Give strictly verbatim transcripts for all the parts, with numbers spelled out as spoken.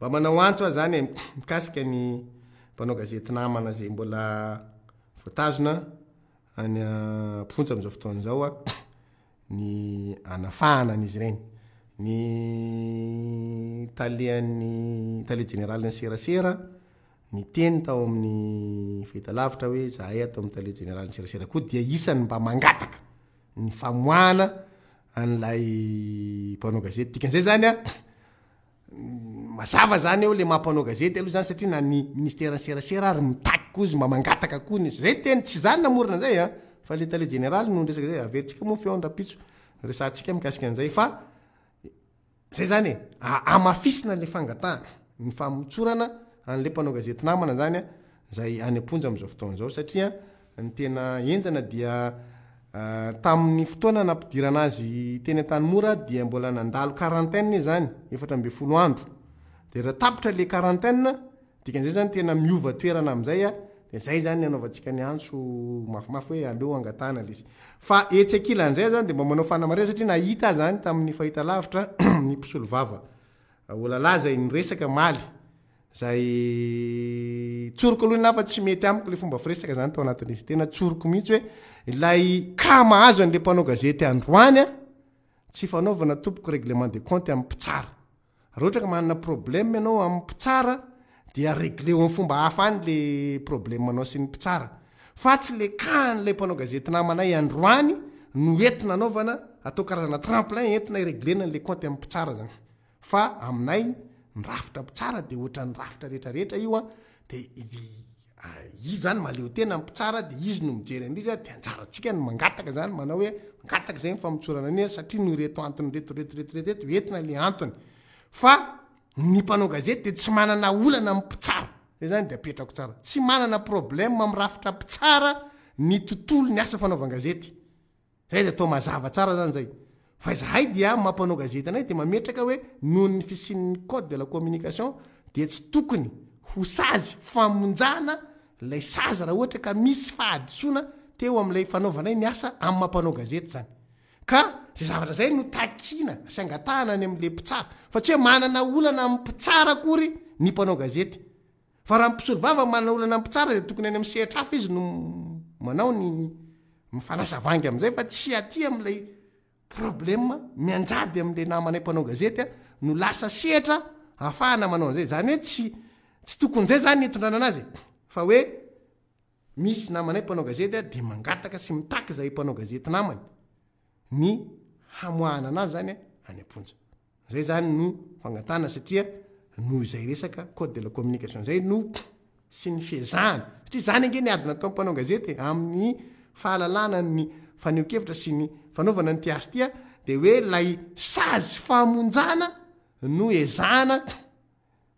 Mba manao antso aho zany e, mikasika ny mpanao gazety namana zay mbola voatazona any am-ponja amin'izao fotoana izao a, ny anafahana an'izy ireny. Ny talehan'ny tale jeneralin'ny serasera niteny tao amin'ny fahitalavitra hoe zahay ato amin'ny tale jeneralin'ny serasera koa dia isany mba mangataka ny famoahana an'ilay mpanao gazety. Dikan'izay zany a, mazava zany eo le mampanao gazety aloha zany, satria na ny ministeran'ny serasera ary mitaky koa izy, mba mangataka koa ny zay teny, tsy zany namorona an'izay a, fa le tale jeneraly no resaka zay. Averintsika moa feon rapitso resahantsika mikasika an'izay, fa zay zany e, amafisina le fangatahana ny famotsorana an'le mpanao gazety namana zany a, zay any am-ponja amin'izao fotoana izao, satria ny tena enjana dia tamin'ny fotoana nampidirana azy teny Antanimora dia mbola nandalo quarantaine izy zany, efatra amby folo andro. De raha tapitra le quarantaine, dikan'izay zany tena miova toerana am'izay a, de zay zany anaovantsika ny antso mafimafy hoe aleo angatahana le izy. Fa etsy ankilan'izay zany de mba manao fanamarihana, satria nahita zany tamin'ny fahitalavitra ny mpisolo vava Olala zay niresaka maly zay. Tsoroko aloha na fa tsy mety amiko le fomba firesaka zany tao anatin'izy, tena tsoroko mihitsy hoe ilay ka mahazo an'le mpanao gazety androany a, tsy fanaovana tompoko règlement de compte amin'ny mpitsara. Raha ohatra ka manana problème ianao amin'ny mpitsara, dia régleo amin'ny fomba hafa any le problème anao sy ny mpitsara, fa tsy le kaan'lay mpanao gazety namanay androany no entina anaovana atao karazana tremplin entina ireglena n'le compte amin'ny mpitsara zany. Fa aminay ny rafitra mpitsara de ohatra ny rafitra rehetrarehetra io a, de izy zany mahaleo tena mpitsara, de izy no mijery an'izy a, de anjaratsika ny mangataka zany, manao hoe mangataka zay mifamotsorana an'izy satria no reto antony reto reto reto reto reto entina le antony. Fa ny mpanao gazety de tsy manana olana amin'ny mpitsara zay zany, de apetrako tsara, tsy manana problème amin'ny rafitra mpitsara ny tontolo ny asa fanaovan-gazety zay, de atao mazava tsara zany zay. Fa izahay dia mampanao gazety anay de mametraka hoe noho ny fisian'ny code de la communication de tsy tokony ho sazy famonjana lay sazy raha ohatra ka misy fahadisoana teo am'ilay fanaovanay ny asa amin'ny mampanao gazety zany. Ka zay zavatra zay no takina sy angatahana any am'le mpitsara, fa tsy hoe manana olana amin'ny mpitsara akory ny mpanao gazety. Fa raha mpisolo vava manana olana amin'ny mpitsara, de tokony any amin'ny sehatra hafa izy no manao ny mifanasa vangy am'izay, fa tsy aty am'ilay problème mianjady am'le namanay mpanao gazety a no lasa sehatra ahafahana manao an'izay zany. Hoe tsy tsy tokony zay zany nitondrana anazy, fa hoe misy namanay mpanao gazety a, de mangataka sy mitaky zay mpanao gazety namany ny hamoahana anazy zany a any am-ponja zay zany no fangatana, satria noho izay resaka code de la communication zay no sy ny fiezahana, satria zany ange ny ady natao mpanao gazety amin'ny fahalalana ny faneho-kevitra sy ny fanaovana ny tiasy tya, de hoe lay sazy famonjana no ezahana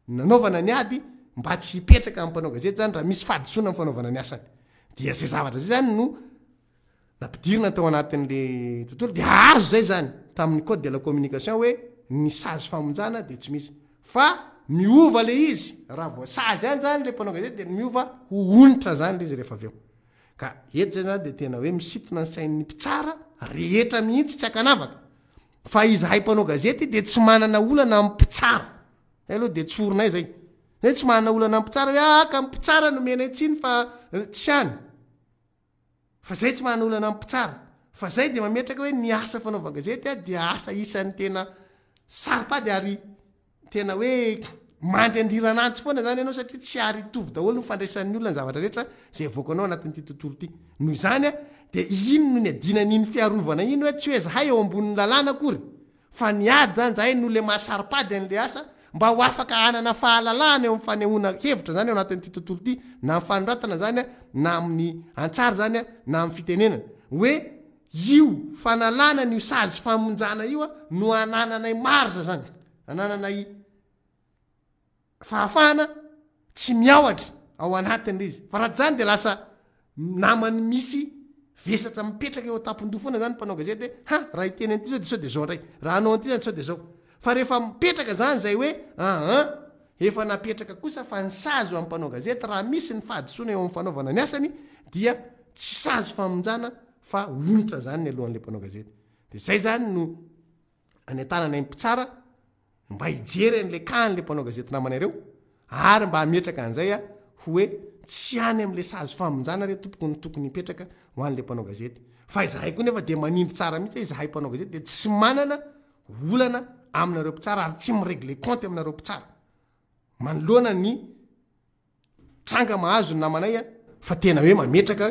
nanaovana ny ady mba tsy hipetraka amin'ny mpanao gazety zany raha misy fahadisoana amin'ny fanaovana ny asany. Dia zay zavatra zay zany no nampidirina tao anatin'le tontolo, de azo zay zany tamin'ny code de la communication hoe ny sazy famonjana de tsy misy, fa miova le izy raha voasazy any zany le mpanao gazety, de miova ho onitra zany le izy rehefa avy eo. Ka eto zay zany de tena hoe misintona ny sain'ny mpitsara rehetra mihitsy tsy akanavaka, fa izahay mpanao gazety de tsy manana olana amin'ny mpitsara zay aloha, de tsorinay zay zay, tsy manana olana amin'ny mpitsara hoe aka mpitsara no menay tsiny, fa tsy any, fa zay tsy manana olana amin'ny mpitsara. Fa zay de mametraka hoe ny asa fanaovan-gazety a dia asa isan'ny tena saropady ary tena hoe mandry andriranantsy foana zany ianao, satria tsy ary hitovy daholo ny fandraisan'ny olona ny zavatra rehetra zay avoakanao anatin'ity tontolo ity. Noho izany a, de ino no ny adinan'iny fiarovana iny, hoe tsy hoe zahay eo ambonin'ny lalàna akory, fa ny ady zany zahay no le mahasaripady an'le asa mba ho afaka hanana fahalalahana eo amin'ny fanehoana hevitra zany eo anatin'ity tontolo ity, na amin'ny fanoratana zany a, na amin'ny antsary zany a, na amin'ny fitenenana, hoe io fanalana ny sazy famonjana io a no anananay marge zany, anananay fahafahana tsy miahotra ao anatin'le izy. Fa raha zany de lasa namany misy vesatra mipetraka eo an-tampon-doha foana zany mpanao gazety hoe ha, raha hiteny an'ity zao de sao de zao indray, raha hanao an'ity zany sao de zao. Fa rehefa mipetraka zany zay hoe aa efa napetraka kosa fa ny sazy ho amin'ny mpanao gazety raha misy ny fahadisoana eo amin'ny fanaovana ny asany dia tsy sazy famonjana fa onitra zany ny alohan'le mpanao gazety, de zay zany no any an-tanana ny mpitsara. Mba hijery an'le cas an'le mpanao gazety namana ireo ary mba hametraka an'izay a hoe tsy any am'le sazy famonjana re tompoko ny tokony hipetraka ho an'le mpanao gazety. Fa izahay koa nefa de manindry tsara mihitsy hoe izahay mpanao gazety de tsy manana olana aminareo mpitsara ary tsy mi-règle compte aminareo mpitsara manoloana ny tranga mahazo ny namanay a fa tena hoe mametraka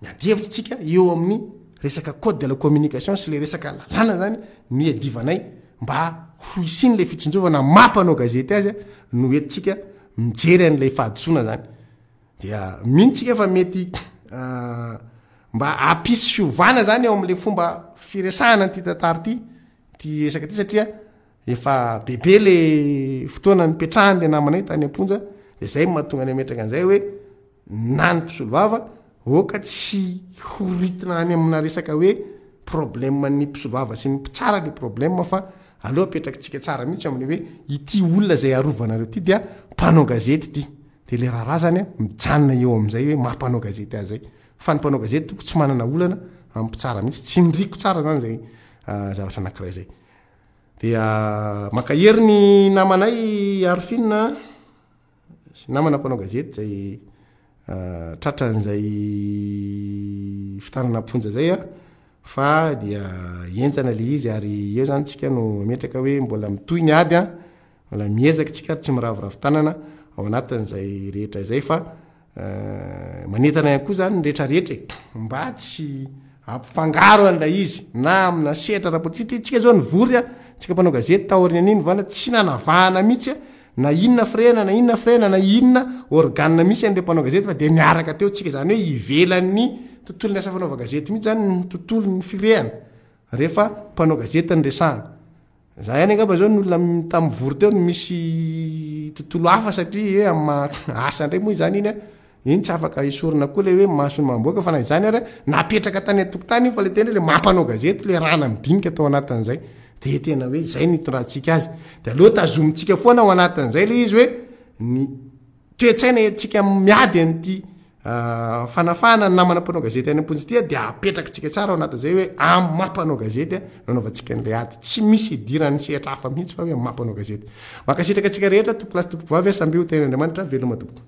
miady hevitra tsika eo amin'ny resaka code de la communication sy le resaka lalàna zany no iadivanay mba ho isiny le fitsinjovana mampanao gazety azy no entitsika mijery an'lay fahadisoana zany. Dia mino tsika fa mety ah, mba ampisy fiovana zany eo am'le fomba firesahana nyty tantary ty, ty resaka ty, satria efa bebe le fotoana nipetrahany le namanay tany amponja. De zay mahatonga ny ametraka an'izay hoe na ny mpisolovava oka tsy horitina any amina resaka hoe problème ny mpisolovava sy ny mpitsara le problème, fa aloha apetraky tsika tsara mihitsy amin'ny hoe ity olona zay arovanareo ty dia mpanao gazety ty, de le raharaha zany a mijanona eo am'izay hoe mampanao gazety azy zay. Fa ny mpanao gazety toko tsy manana olana amy mpitsara mihitsy. Tsy ndriko tsara zany zay ah, zavatra anakiray zay. Dia makahery ny namanay Arofina sy namana mpanao gazety zay ah, tratran'zay fitanana amponja zay a fa dia enjana le izy. Ary eo zany tsika no ametraka hoe mbola mitohy ny ady a mbola miezaka tsika ary tsy miraviravy tanana ao anatin'zay rehetra zay. Fa eh, manentana ihany koa zany ny rehetrarehetra e mba tsy ampifangaro an'lay izy na amina sehatra ara-politika tsika zao nivory a tsika mpanao gazety taorian'iny vana tsy nanavahana mihitsy a na inona firehana na inona firehana na inona organe misy an'le mpanao gazety, fa de miaraka teo tsika. Zany hoe ivelan'ny tontolo ny asa fanaova gazety mihitsy zany ny tontolo ny firehana rehefa mpanao gazety ny resahana. Za ihany angamba zao ny olona tamy vory teo no misy tontolo hafa, satria e amy asa indray moa zany iny a iny tsy afaka isorona koa le hoe masony mamboaka. Fa na izany ary napetraka tany antokotany io, fa le tena le mampanao gazety le rahana midinika atao anatin'izay de tena hoe zay nitondrantsika azy. De aloha tazomitsika foana ao anatin'izay le izy hoe ny toetsaina etsika miady an'ity ah, fanafahana ny namana mpanao gazety any amponjy ty a de apetraky tsika tsara ao anatin'izay hoe amy mampanao gazety a nanaovantsika an'le ady, tsy misy idiran'ny sehatra hafa mihitsy fa hoe amy mampanao gazety. Mankasitraka atsika rehetra, tompokolahy sy tompokovavy, samby ho tenin'Andriamanitra. Veloma tompoko.